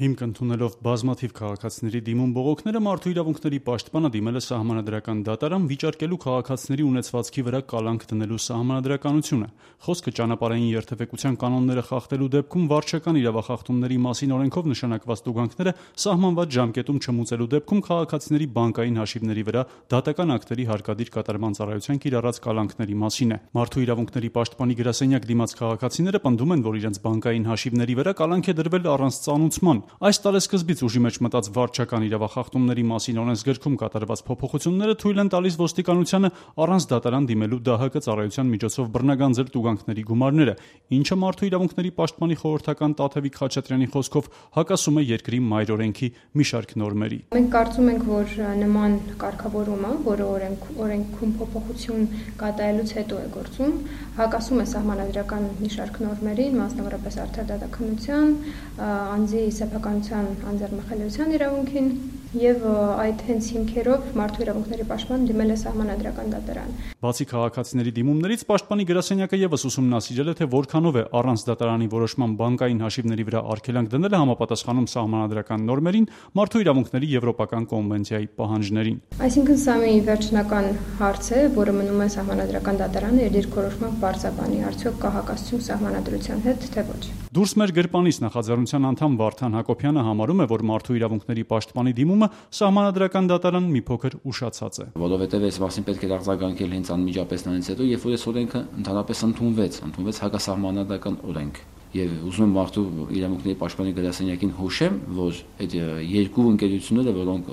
Հիմք ընդունելով բազմաթիվ քաղաքացիների դիմում բողոքները մարդու իրավունքների պաշտպանը դիմել է սահմանադրական դատարան վիճարկելու քաղաքացիների ունեցվածքի վրա կալանք դնելու սահմանադրականությունը։ Խոսքը ճանապարհային երթևեկության կանոնները խախտելու դեպքում վարչական իրավախախտումների մասին օրենքով նշանակված տուգանքները սահմանված ժամկետում չմուծելու դեպքում քաղաքացիների բանկային հաշիվների վրա դատական ակտերի հարկադիր կատարման ծառայության կիրառած կալանքների մասին է։ Մարդու իրավունքների պաշտպանի գրասենյակ դիմաց քաղաքացիները պնդում են, որ իրենց բանկային հաշիվների վրա կալանք է դրվել առանց ծանուցման։ Այս տարեսկզբից ուժի մեջ մտած վարչական իրավախախտումների մասին օրենսգրքում կատարված փոփոխությունները թույլ են տալիս ոստիկանությանը առանց դատարան դիմելու ԴՀԿ ծառայության միջոցով բռնագանձել տուգանքների գումարները, ինչը մարդու իրավունքների պաշտպանի խորհրդական Տաթևիկ Խաչատրյանի խոսքով հակասում է երկրի մայր օրենքի մի շարք նորմերի։ Մենք կարծում ենք, որ նման կարգավորումը, որը օրենքում փոփոխություն կատարելուց հետո է գործում, հակասում է սահմանադրական մի շարք նորմերին, մասնավորապես արդար դատաքննության, անձի սեփականության անձեռնմխելիության իրավունքին եւ այդ հենց հիմքերով մարդու իրավունքների պաշտպան դիմել է սահմանադրական դատարան։ Բացի քաղաքացիների դիմումներից պաշտպանի գրասենյակը եւս ուսումնասիրել է, թե որքանով է առանց դատարանի որոշման բանկային հաշիվների վրա արգելանք դնելը համապատասխանում սահմանադրական նորմերին, մարդու իրավունքների եվրոպական կոնվենցիայի պահանջներին։ Այսինքն սա մի վերջնական հարց է, որը մնում է սահմանադրական դատարանը իր դիրքորոշմամբ բարձրաբանի, արդյոք կա հակասություն սահմանադրության հետ, թե ոչ։ Դուրս մեր գրպանից նախաձեռնության անդամ Վարդան Հակոբյանը համարում է, որ մարդու իրավունքների պաշտպանի դիմումը սահմանադրական դատարան մի փոքր ուշացած է։ Որովհետև այս մասին պետք է արձագանքել հենց անմիջապես նրանից հետո, երբ որ այս օրենքը ընդհանրապես ընդունվեց հակասահմանադրական օրենք։ Եվ ուզում եմ մարդու իրավունքների պաշտպանի գրասենյակին հուշեմ, որ այդ երկու ընկերությունները, որոնք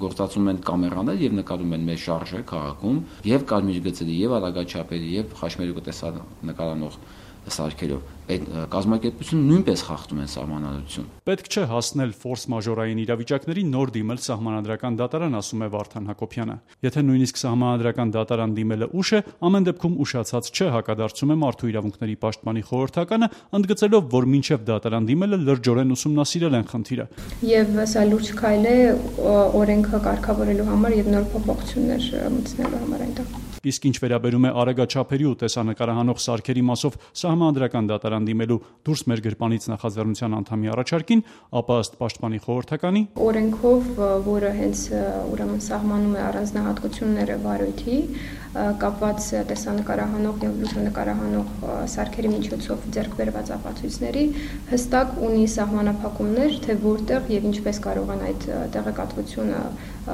գործածում են կամերաներ եւ նկարում են մեր շարժը քաղաքում, եւ կարմիր գծերի, եւ արագաչափերի, եւ խաչմերուկը նկարանող սարքերով, այդ կազմակերպությունը նույնպես խախտում են սահմանադրություն։ Պետք չէ հասնել ֆորս մաժորային իրավիճակների նոր դիմել սահմանադրական դատարան, ասում է Վարդան Հակոբյանը։ Եթե նույնիսկ սահմանադրական դատարան դիմելը ուշ է, ամեն դեպքում ուշացած չէ, հակադարձում է մարդու իրավունքների պաշտպանի խորհրդականը, ընդգծելով, որ մինչև դատարան դիմելը լրջորեն ուսումնասիրել են խնդիրը։ Եվ սա լուրջ քայլ է օրենքը կարգավորելու համար եւ նոր փոփոխություններ մտցնելու համար այնտեղ։ Իսկ ինչ վերաբերում է արագաչափերի ու տեսանկարահանող սարքերի մասով սահմանադրական դատարան դիմելու դուրս մեր գրպանից նախաձեռնության անդամի առաջարկին, ապա ըստ պաշտպանի խորհրդականի օրենքով, որը հենց ուրեմն սահմանում է առանձնահատկությունները վարույթի, կապված տեսանկարահանող եւ լուսանկարահանող սարքերի միջոցով ձեռք բերված ապացույցների, հստակ ունի սահմանափակումներ, թե որտեղ եւ ինչպես կարող են այդ տեղեկատվությունը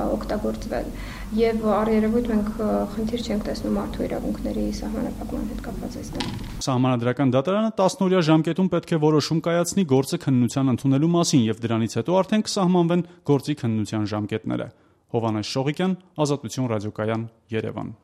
օգտագործվել։ Եվ առերևույթ մենք խնդիր չենք տեսնում մարդու իրավունքների սահմանափակման հետ կապված այստեղ։ Սահմանադրական դատարանը 10-օրյա ժամկետում պետք է որոշում կայացնի գործը քննության ընդունելու մասին եւ դրանից հետո արդեն կսահմանվեն գործի քննության ժամկետները։ Հովհաննես Շողիկյան, Ազատություն ռադիոկայան, Երևան։